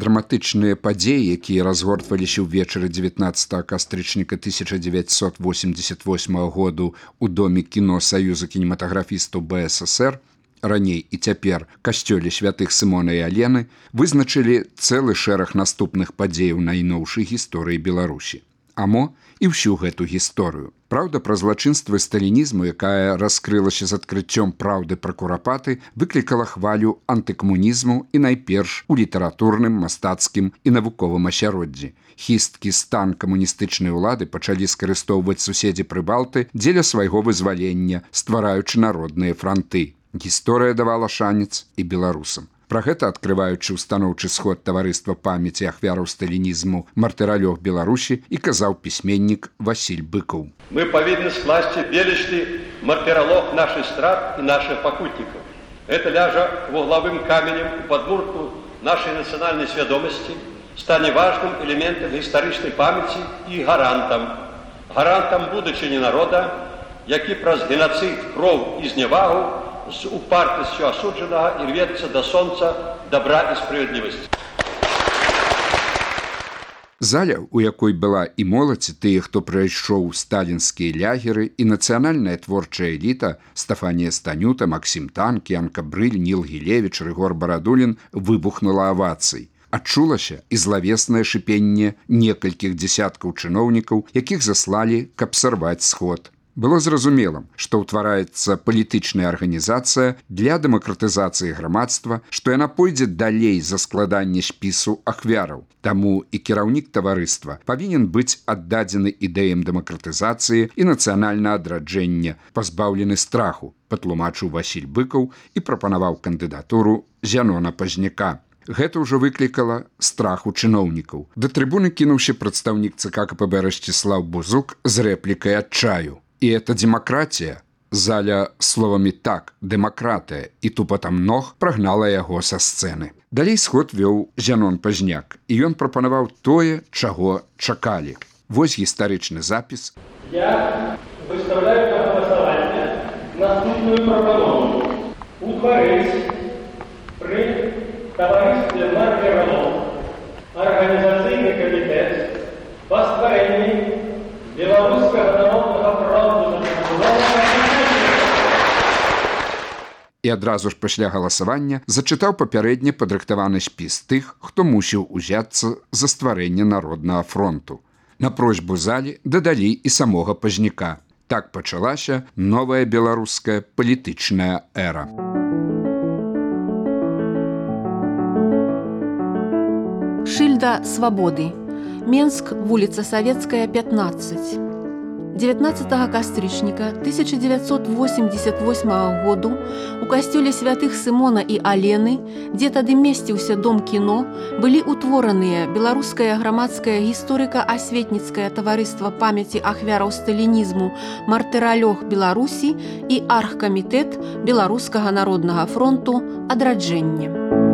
драматычныя падзеі, якія разгортваліся ўвечары 19 кастрычніка 1988 году ў доме кіно Саюза кінематаграфістаў БССР, раней і цяпер касцёле святых Сымона і Алены, вызначылі цэлы шэраг наступных падзеяў найноўшай гісторыі Беларусі. А мо і ўсю гэту гісторыю. Праўда пра злачынствы сталінізму, якая раскрылася з адкрыццём праўды пра курапаты, выклікала хвалю антыкамунізму і найперш у літаратурным, мастацкім і навуковым асяроддзі. Хісткі стан камуністычнай улады пачалі скарыстоўваць суседзі Прыбалты дзеля свайго вызвалення, ствараючы народныя франты. Гісторыя давала шанец і беларусам. Пра гэта, адкрываючы ўстаноўчы сход таварыства памяці ахвяраў сталінізму «Мартыралёг Беларусі», і казаў пісьменнік Васіль Быкаў. Мы павінны скласці велічны мартыралог нашых страт і наших пакутнікаў. Гэта ляжа вуглавым каменем у падмурку нашай нацыянальнай свядомасці, стане важным элементам гістарычнай памяці і гарантам будучыні народа, які праз геноцид, кроў і зневагу з упартасцю асуджанага і рвецца да сонца добра і справядлівасці. Заля, у якой была і моладзь, і тыя, хто прайшоў сталінскія лягеры, і нацыянальная творчая эліта Стафанія Станюта, Максім Танк, Янка Брыль, Ніл Гілевіч, Рыгор Барадулін выбухнула авацый. Адчулася і злавеснае шыпенне некалькіх дзесяткаў чыноўнікаў, якіх заслалі, каб сарваць сход. Было зразумелым, што ўтвараецца палітычная арганізацыя для дэмакратызацыі грамадства, што яна пойдзе далей за складанне спісу ахвяраў. Таму і кіраўнік таварыства павінен быць аддадзены ідэям дэмакратызацыі і нацыянальнага адраджэння, пазбаўлены страху, патлумачыў Васіль Быкаў і прапанаваў кандыдатуру Зянона Пазняка. Гэта ўжо выклікала страх у чыноўнікаў. Да трыбуны кінуўся прадстаўнік ЦК КПБ Расціслаў Бузук з рэплікай адчаю. І это демократія. Заля словамі «так», «дэмакратыя» і тупатам ног прагнала яго са сцэны. Далей сход вёў Зянон Пазняк, і ён прапанаваў тое, чаго чакалі. Вось гістарычны запіс. Я выставляю на галасаванне наступную прапанову. Утварыць пры таварыстве «Мартыралёг» арганізацыйны камітэт па стварэнні Беларускага народнага фронту. І адразу ж пасля галасавання зачытаў папярэдне падрыхтаваны спіс тых, хто мусіў узяцца за стварэнне народнага фронту. На просьбу залі дадалі і самога Пазняка. Так пачалася новая беларуская палітычная эра. Шыльда свабоды. Менск, вуліца Савецкая, 15. 19 кастрычніка 1988 году у касцёле святых Сымона і Алены, дзе тады месціўся дом кіно, былі ўтвораныя беларускае грамадскае гісторыка-асветніцкае таварыства памяці ахвяраў сталінізму «Мартыралёг Беларусі» і аргкамітэт Беларускага народнага фронту «Адраджэнне».